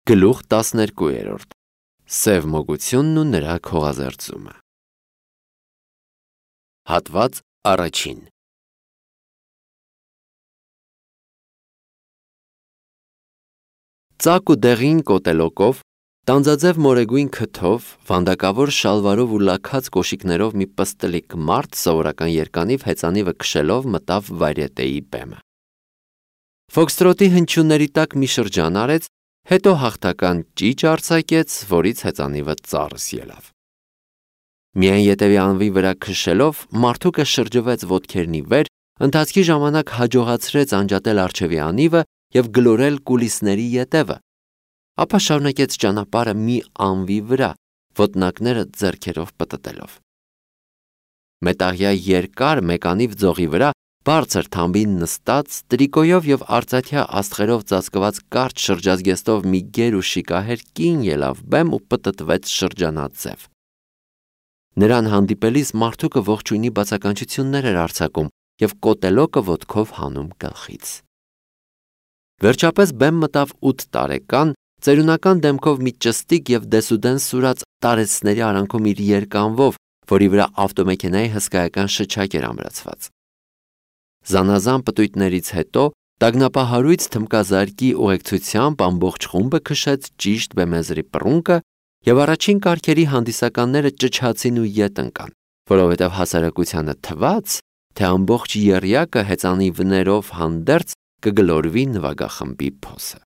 Գլուխ 12. Սև մոգությունն ու նրա քողազերծումը։ Հատված առաջին։ Ծակ ու դեղին կոտելոկով, տանձաձև մորեգույն քթով, վանդակավոր շալվարով ու լաքած կոշիկներով մի պստլիկ մարդ սովորական երկանիվ հեծանիվը քշելով մտավ վայրետեի բեմը։ Ֆոքստրոտի հնչյունների տակ մի շրջան արեց, հետո հաղթական ճիչ արձակեց, որից հեծանիվը ծառս ելավ։ Միայն ետևի անվի վրա քշելով, մարդուկը շրջվեց ոտքերն ի վեր, ընթացքի ժամանակ հաջողացրեց անջատել առջևի անիվը և գլորել կուլիսների ետևը, ապա շարունակեց ճանապարհը մի անվի վրա, ոտնակները ձեռքերով պտտելով։ Մետաղյա երկար մեկանիվ ձողի վրա բարձր թամբին նստած, տրիկոյով և արծաթյա աստղերով ծածկված կարճ շրջազգեստով մի գեր ու շիկահեր կին ելավ բեմ ու պտտվեց շրջանաձև։ Նրան հանդիպելիս մարդուկը ողջույնի բացականչություններ էր արձակում և կոտելոկը ոտքով հանում գլխից։ Վերջապես բեմ մտավ 8 տարեկան, ծերունական դեմքով մի ճստիկ և դեսուդեն սուրաց տարեցների արանքում իր երկանվով, որի վրա ավտոմեքենայի հսկայական շչակ էր ամրացված։ Զանազան պտույտներից հետո տագնապահարույց թմկազարկի ուղեկցությամբ ամբողջ խումբը քշեց ճիշտ բեմեզրի պռունկը և առաջին կարգերի հանդիսականները ճչացին ու ետ ընկան, որովհետև հասարակությանը թվաց, թե ամբողջ եռյակը հեծանիվներով հանդերձ կգլորվի նվագախմբի փոսը։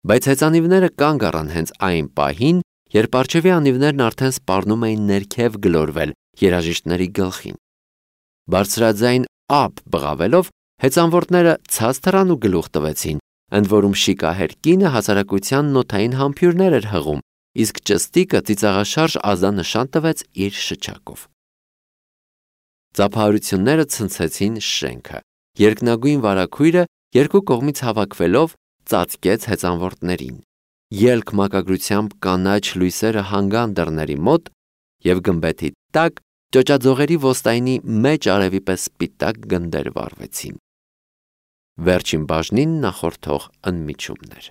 Բայց հեծանիվները կանգ առան հենց այն պահին, երբ առջևի անիվներն արդեն սպառնում էին ներքև գլորվել երաժիշտների գլխին։ Բարձրաձայն ափ բղավելով, հեծանվորդները ցած թռան ու գլուխ տվեցին, ընդ որում շիկահեր կինը հասարակության նոթային համբույրներ էր հղում, իսկ ճստիկը ծիծաղաշարժ ազդանշան տվեց իր շչակով։ Ծափահարությունները ցնցեցին շենքը։ Երկնագույն վարագույրը երկու կողմից հավաքվելով ծածկեց հեծանվորդներին։ Ելք մակագրությամբ կանաչ լույսերը հանգան դռների մոտ և գմբեթի տակ ճոճաձողերի ոստայնի մեջ արևի պես սպիտակ գնդեր վառվեցին։ Վերջին բաժնին նախորդող ընդմիջումներ։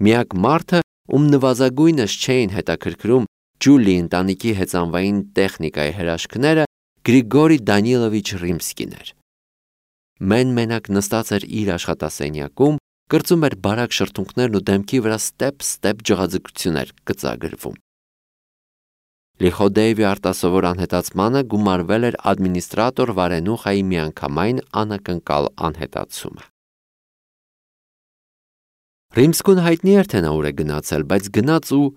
Միակ մարդը, ում նվազագույնս չէին հետաքրքրում Ջուլիի ընտանիքի հեծանվային տեխնիկայի հրաշքները, Գրիգորի Դանիլովիչ Ռիմսկին էր։ Մեն-մենակ նստած էր իր աշխատասենյակում, կրծում էր բարակ շրթունքներն ու դեմքի վրա ստեպ ջղաձգություն էր գծագրվում։ Լիխոդեևի արտասովոր անհետացմանը գումարվել էր ադմինիստրատոր Վարենուխայի միանգամայն անակնկալ անհետացումը։ Ռիմսկուն հայտնի էր, թե նա ուր է գնացել, բայց գնաց ու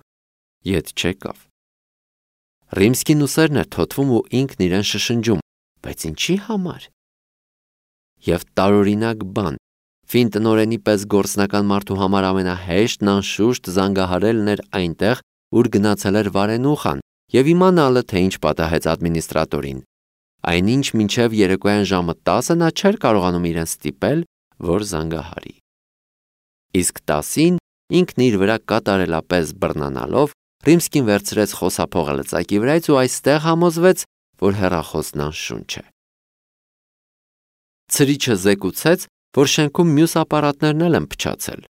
ետ չեկավ։ Ռիմսկին ուսերն էր թոթվում ու ինքն իրեն շշնջում, բայց ինչի համար։ Եվ տարօրինակ բան, ֆին տնօրենի պես գործնական մարդու համար ամենահեշտն անշուշտ զանգահարելն էր այնտեղ, ուր գնացել էր Վարենուխան, և իմանալը, թե ինչ պատահեց ադմինիստրատորին, այնինչ մինչև երեկոյան ժամը 10 նա չէր կարողանում իրեն ստիպել, որ զանգահարի։ Իսկ 10-ին ինքն իր վրա կատարելապես բռնանալով, Ռիմսկին վերցրեց խոսափողը լծակի վրայից ու այստեղ համոզվեց, որ հեռախոսն անշունչ է։ Ցրիչը զեկուցեց, որ շենքում մյուս ապարատներն էլ են փչացել։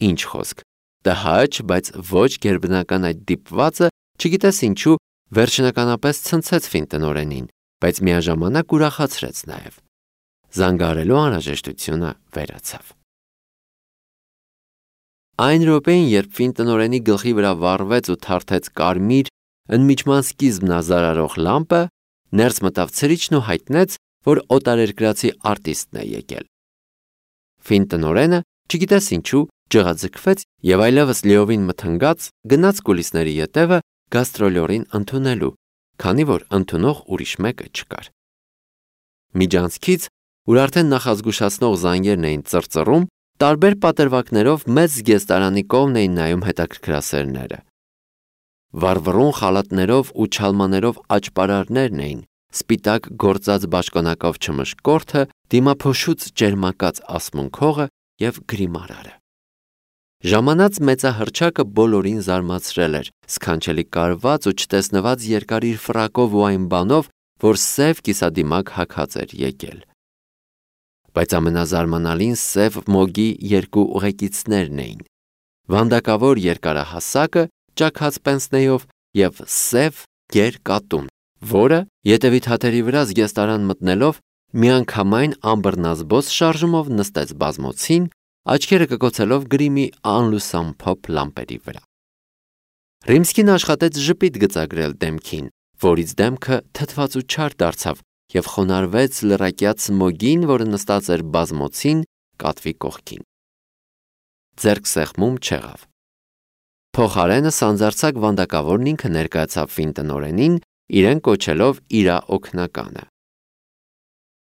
Ինչ խոսք, տհաճ, բայց ոչ գերբնական այդ դիպվածը, չգիտես ինչու, վերջնականապես ցնցեց ֆին տնօրենին, բայց միաժամանակ ուրախացրեց նաև։ Զանգահարելու անհրաժեշտությունը վերացավ։ Այն րոպեին, երբ ֆին տնօրենի գլխի վրա վառվեց ու թարթեց կարմիր, ընդմիջման սկիզբն ազարարող լամպը, ներս մտավ ցրիչն ու հայտնեց, որ օտարերկրացի արտիստն է եկել։ Ֆին տնօրենը, չգիտես ինչու, ջղաձգվեց և այլևս լիովին մթնգաց գնաց կուլիսների ետևը գաստրոլյորին ընդունելու, քանի որ ընդունող ուրիշ մեկը չկար։ Միջանցքից, ուր արդեն նախազգուշացնող զանգերն էին ծռծռում, տարբեր պատրվակներով մեծ զգեստարանի կողմն էին նայում հետաքրքրասերները։ Վառվռուն խալաթներով ու չալմաներով աճպարարներն էին, սպիտակ գործած բաճկոնակով չմշկորդը, դիմափոշուց ճերմակած ասմունքողը և գրիմարարը։ Ժամանած մեծահռչակը բոլորին զարմացրել էր, սքանչելի կարված ու չտեսնված երկար իր ֆրակով ու այն բանով, որ սև կիսադիմակ հագած էր եկել։ Բայց ամենազարմանալին սև մոգի երկու ուղեկիցներն էին. վանդակավոր երկարահասակը ճաքած պենսնեով և սև գերկատուն, որը ետևի թաթերի վրա զգեստարան մտնելով միանգամայն անբռնազբոս շարժումով նստեց բազմոցին, աչքերը կկոցելով գրիմի անլուսամփոփ լամպերի վրա։ Ռիմսկին աշխատեց ժպիտ գծագրել դեմքին, որից դեմքը թթված ու չար դարձավ և խոնարհվեց լրակյաց մոգին, որը նստած էր բազմոցին կատվի կողքին։ Ձեռք սեղմում չեղավ։ Փոխարենը սանձարձակ վանդակավորն ինքը ներկայացավ ֆին տնօրենին, իրեն կոչելով իրա օգնականը։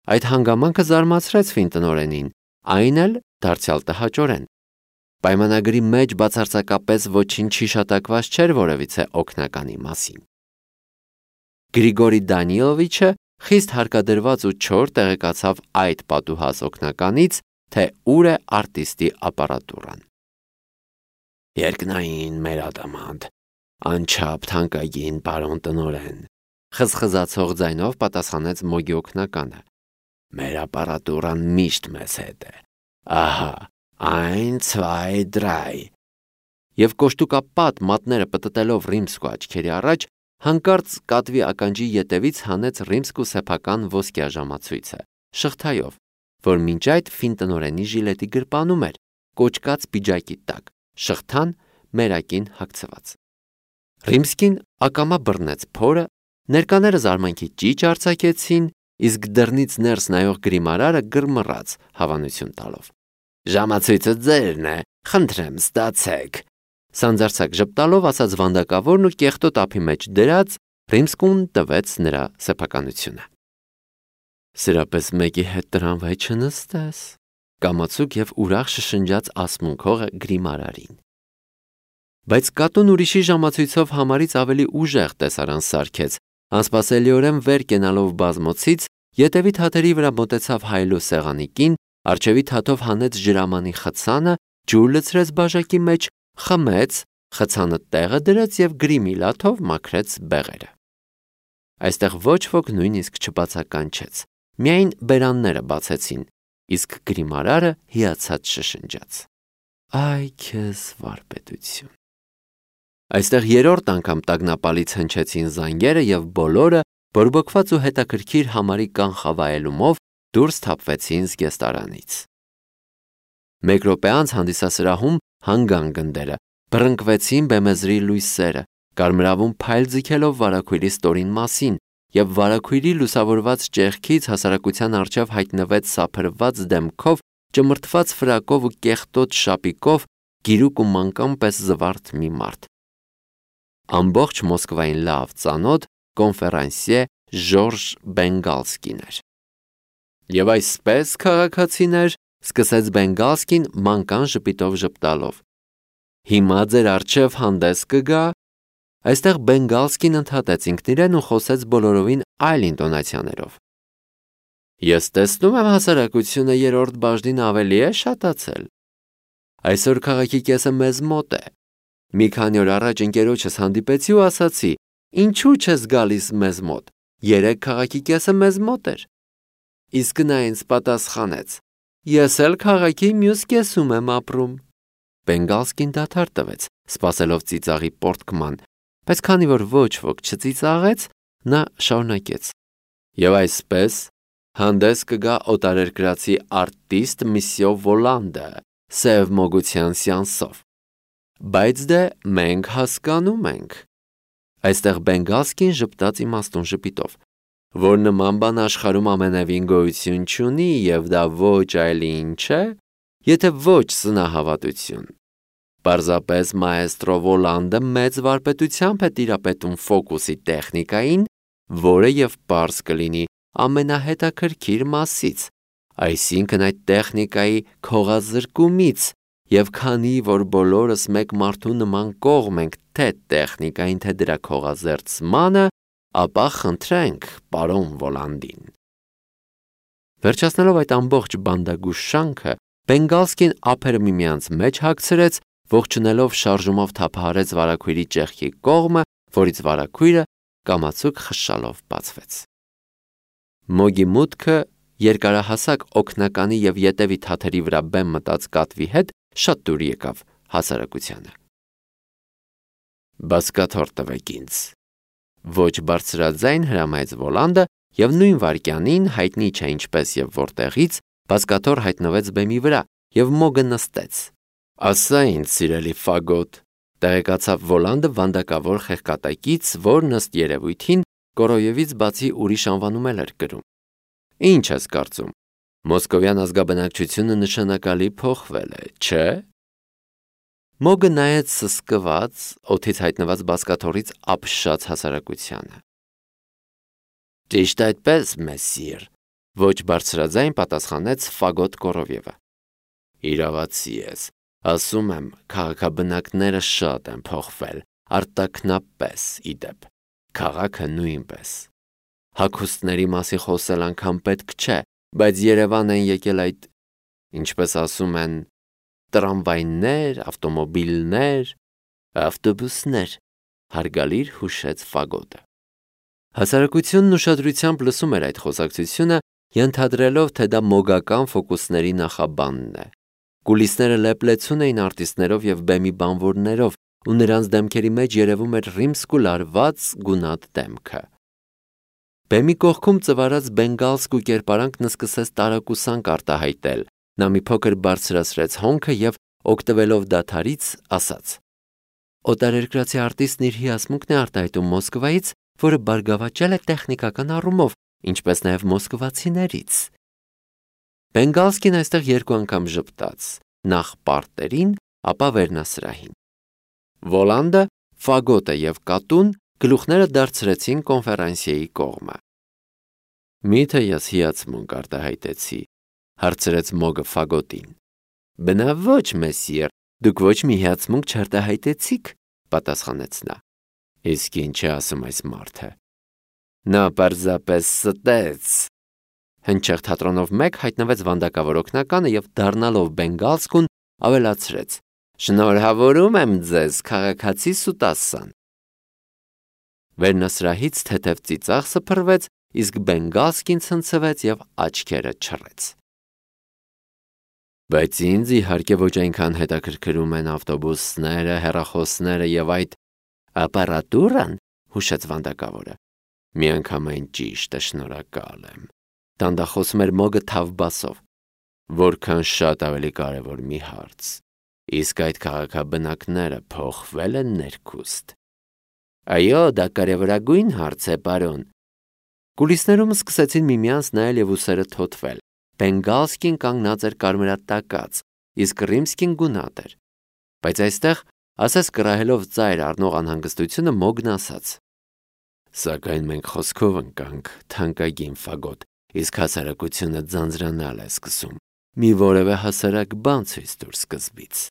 Այդ հանգամանքը զարմացրեց ֆին տնօրենին, այն էլ դարձյալ տհաճորեն։ Պայմանագրի մեջ բացարձակապես ոչինչ հիշատակված չէր որևիցե օգնականի մասին։ Գրիգորի Դանիլովիչը խիստ հարկադրված ու չոր տեղեկացավ այդ պատուհաս օգնականից, թե ուր է արտիստի ապարատուրան։ Երկնային մեր ադամանդ, անչափ թանկագին պարոն տնօրեն, խզխզացող ձայնով պատասխանեց մոգի օգնականը։ Մեր ապարատուրան միշտ մեզ հետ է։ Ահա, այն 2 դրայ։ Եվ կոշտուկապատ մատները պտտելով Ռիմսկու աչքերի առաջ, հանկարծ կատվի ականջի ետևից հանեց Ռիմսկու սեփական ոսկյա ժամացույցը, շղթայով, որ մինչ այդ ֆին տնօրենի ժիլետի գրպանում էր, կոճկած պիջակի տակ, շղթան մերակին հագցված։ Ռիմսկին ակամա բռնեց փորը, ներկաները զարմանքի ճիչ արձակեցին, իսկ դռնից ներս նայող գրիմարարը գրմռաց հավանություն տալով։ Ժամացույցը ձերն է, խնդրեմ ստացեք։ Սանձարձակ ժպտալով ասաց վանդակավորն ու կեղտոտ ափի մեջ դրած Ռիմսկուն տվեց նրա սեփականությունը։ Սրապես մեկի հետ տրամվայ չնստես, կամացուկ և ուրախ շշնջաց ասմունքողը գրիմարարին։ Բայց կատուն ուրիշի ժամացույցով համարից ավելի ուժեղ տեսարան սարքեց, անսպասելիորեն վեր կենալով բազմոցից, ետևի թաթերի վրա մոտեցավ հայելու սեղանիկին, առջևի թաթով հանեց ջրամանի խցանը, ջուր լցրեց բաժակի մեջ, խմեց, խցանը տեղը դրեց և գրիմի լաթով մաքրեց բեղերը։ Այստեղ ոչ ոք նույնիսկ չբացականչեց, միայն բերանները բացեցին, իսկ գրիմարարը հիացած շշնջաց. Այ քեզ վարպետություն։ Այստեղ երրորդ անգամ տագնապալից հնչեցին զանգերը և բոլորը, բորբոքված ու հետաքրքիր համարի կանխավայելումով դուրս թափվեցին զգեստարանից։ Մեկ րոպե անց հանդիսասրահում հանգան գնդերը, բռնկվեցին բեմեզրի լույսերը, կարմրավուն փայլ ձգելով վարագույրի ստորին մասին, և վարագույրի լուսավորված ճեղքից հասարակության առջև հայտնվեց սափրված դեմքով, ճմրթված ֆրակով ու կեղտոտ շապիկով, գիրուկ ու մանկան պես զվարթ մի մարդ։ Ամբողջ Մոսկվային լավ ծանոթ կոնֆերանսիե Ժորժ Բենգալսկին էր։ Եվ այսպես, քաղաքացիներ, սկսեց Բենգալսկին մանկան ժպիտով ժպտալով։ Հիմա ձեր առջև հանդես կգա։ Այստեղ Բենգալսկին ընդհատեց ինքն իրեն ու խոսեց բոլորովին այլ ինտոնացիաներով։ Ես տեսնում եմ հասարակությունը երրորդ բաժնին ավելի է շատացել։ Այսօր քաղաքի կեսը մեզ մոտ է։ Մի քանի օր առաջ ընկերոջս հանդիպեցի ու ասացի. ինչու չես գալիս մեզ մոտ։ Երեկ քաղաքի կեսը մեզ մոտ էր։ Իսկ նա ինձ պատասխանեց. ես էլ քաղաքի մյուս կեսում եմ ապրում։ Բենգալսկին դադար տվեց, սպասելով ծիծաղի պոռթկման, բայց քանի որ ոչ ոք չծիծաղեց, նա շարունակեց. Եվ այսպես հանդես կգա օտարերկրացի արտիստ Միսյո Վոլանդը սև մոգության սեանսով։ Բայց դե մենք հասկանում ենք։ Այստեղ Բենգալսկին ժպտաց իմաստուն ժպիտով, որ նման բան աշխարհում ամենևին գոյություն չունի և դա ոչ այլ ինչ է, եթե ոչ սնահավատություն։ Պարզապես մաեստրո Վոլանդը մեծ վարպետությամբ է տիրապետում ֆոկուսի տեխնիկային, որը և պարզ կլինի ամենահետաքրքիր մասից, այսինքն այդ տեխնիկայի քողազրկումից, և քանի որ բոլորս մեկ մարդու նման կողմ ենք թե տեխնիկային, թե դրա քողազերծմանը, ապա խնդրենք պարոն Վոլանդին։ Վերջացնելով այդ ամբողջ բանդագույժ շանքը, Բենգալսկին ափերը միմյանց մեջ հագցրեց, ողջունելով շարժումով թափահարեց վարագույրի ճեղքի կողմը, որից վարագույրը կամացուկ խշշալով բացվեց։ Մոգի մուտքը երկարահասակ օգնականի և ետևի թաթերի վրա բեմ մտած կատվի հետ շատ դուր եկավ հասարակությանը։ Բազկաթոռ տվեք ինձ, ոչ բարձրաձայն հրամայեց Վոլանդը, և նույն վայրկյանին, հայտնի չէ ինչպես և որտեղից, բազկաթոռ հայտնվեց բեմի վրա և մոգը նստեց։ Ասա ինձ, սիրելի ֆագոտ, տեղեկացավ Վոլանդը վանդակավոր խեղկատակից, որն ըստ երևույթին Կորոյևից բացի ուրիշ անվանում էր կրում։ Ինչ ես կարծում, մոսկովյան ազգաբնակչությունը նշանակալի փոխվել է, չէ՞։ Մոգը նայեց սսկված, օդից հայտնված բազկաթոռից ապշած հասարակությանը։ Ճիշտ այդպես, մեսսիր, ոչ բարձրաձայն պատասխանեց Ֆագոտ Կորովևը։ Իրավացի ես, ասում եմ, քաղաքաբնակները շատ են փոխվել, արտաքնապես ի դեպ, քաղաքը նույնպես։ Հագուստների մասին խոսել անգամ պետք չէ, բայց Երևան են եկել այդ, ինչպես ասում են, տրամվայներ, ավտոմոբիլներ, ավտոբուսներ, հարգալիր հուշեց Ֆագոտը։ Հասարակությունն ուշադրությամբ լսում էր այդ խոսակցությունը, ենթադրելով, թե դա մոգական ֆոկուսների նախաբանն է։ Կուլիսները լեփլեցուն էին արտիստներով և բեմի բանվորներով, ու նրանց դեմքերի մեջ երևում էր ռիմսկու լարված գունատ դեմքը։ Բեմի կողքում ծվարած բենգալսկու կերպարանքն սկսեց տարակուսանք արտահայտել, նա մի փոքր բարձրացրեց հոնքը և, օգտվելով դադարից, ասաց. Օտարերկրացի արտիստն իր հիացմունքն է արտահայտում Մոսկվայից, որը բարգավաճել է տեխնիկական առումով, ինչպես նաև մոսկվացիներից։ Բենգալսկին այստեղ երկու անգամ ժպտաց, նախ պարտերին, ապա վերնասրահին։ Վոլանդը, Ֆագոտը և կատուն գլուխները դարձրեցին կոնֆերանսիեի կողմը։ Միթե ես հիացմունք արտահայտեցի, հարցրեց մոգը Ֆագոտին։ Բնավ ոչ, մեսսիր, դուք ոչ մի հիացմունք չարտահայտեցիք, պատասխանեց նա։ Իսկ ինչ է ասում այս մարդը։ Նա պարզապես ստեց։ Հնչեղ թատրոնով մեկ հայտնվեց վանդակավոր օգնականը և դառնալով բենգալսկուն ավելացրեց. Շնորհավորում եմ ձեզ, քաղաքացի Սուտասան։ Վերնասրահից թեթև ծիծաղ սփռվեց, իսկ բենգալսկին ցնցվեց և աչքերը չռեց։ Բայց ինձ իհարկե ոչ այնքան հետաքրքրում են ավտոբուսները, հեռախոսները և այդ ապարատուրան, հուշեց վանդակավորը։ Միանգամայն ճիշտ է, շնորհակալ եմ։ Դանդաղ էր մոգը թավ բասով։ Որքան շատ ավելի կարևոր մի հարց։ Իսկ այդ քաղաքաբնակները փոխվել են ներքուստ։ Այո, դա կարևորագույն հարց է, պարոն։ Կուլիսներում սկսեցին միմյանց նայել և ուսերը թոթվել։ Բենգալսկին կանգնած էր կարմրատակած, իսկ Ռիմսկին գունատ էր։ Բայց այստեղ, ասես կռահելով ծայր առնող անհանգստությունը, մոգն ասաց. Սակայն մենք խոսքով ընկանք, թանկագին Ֆագոտ, իսկ հասարակությունը ձանձրանալ է սկսում։ Մի որևէ հասարակ բան ցույց տուր սկզբից։